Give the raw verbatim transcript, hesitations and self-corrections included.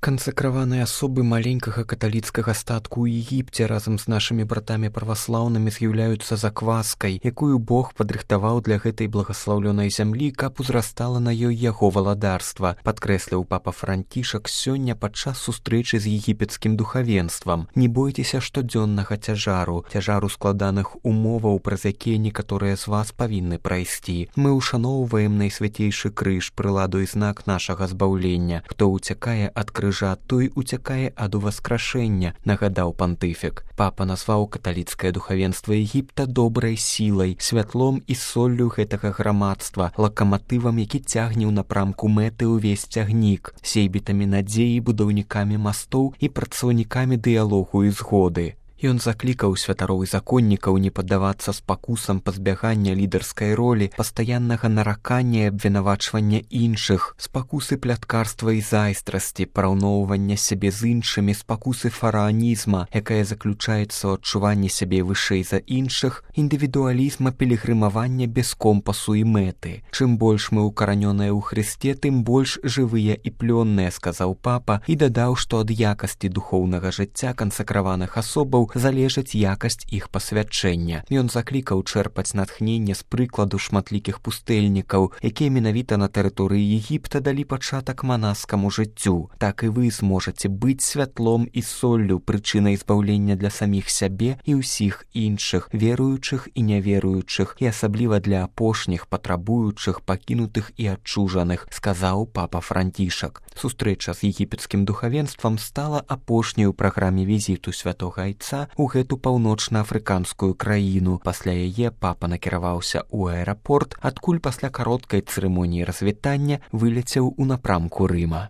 Кансакраваныя асобы маленькага каталіцкага статку ў Егіпце разам з нашымі братамі праваслаўнымі з'яўляюцца закваскай, якую Бог падрыхтаваў для гэтай благаслаўлёнай зямлі, каб узрастала на ёй яго валадарства, падкрэсліў папа Францішак сёння падчас сустрэчы з егіпецкім духавенствам. Не бойцеся штодзённага цяжару, цяжару складаных умоваў, праз якія некаторыя з вас павінны прайсці. Мы ушаноўваем найсвяцейшы крыж, прыладу і знак нашага збаўлення. Хто уцякае ад крыжа, той уцякае ад уваскрашэння, нагадаў пантыфік. Папа назваў каталіцкае духавенства Егіпта добрай сілай, святлом і соллю гэтага грамадства, лакаматывам, які цягне ў напрамку мэты ўвесь цягнік, сейбітамі надзеі, будаўнікамі мастоў і працаўнікамі дыялогу і згоды. Ён заклікаў святароў і законнікаў не паддавацца спакусам пазбягання лідарскай ролі, пастаяннага наракання і абвінавачвання іншых, спакусы пляткарства і зайздрасці, параўноўвання сябе з іншымі, спакусы фараанізма, якая заключаецца ў адчуванні сябе вышэй за іншых, індывідуалізма пілігрымавання без компасу і мэты. Чым больш мы укаранёныя ў Хрысце, тым больш жывыя і плённыя, сказаў папа, і дадаў, што ад якасці духоўнага жыцця кансакраваных асобаў залежыць якасць іх пасвячэння. Ён заклікаў чэрпаць натхненне з прыкладу шматлікіх пустэльнікаў, якія менавіта на тэрыторыі Егіпта далі пачатак манаскаму жыццю. Так і вы зможаце быць святлом і соллю, прычынай збаўлення для саміх сябе і ўсіх іншых, веруючых і няверуючых, і асабліва для апошніх, патрабуючых, пакінутых і адчужаных, сказаў папа Францішак. Сустрэча з егіпецкім духавенствам стала апошняй у праграме візіту святога айца у гэту паўночна-афрыканскую краіну. Пасля яе папа накіраваўся ў аэрапорт, адкуль пасля кароткай цырымоніі развітання выляцеў у напрамку Рыма.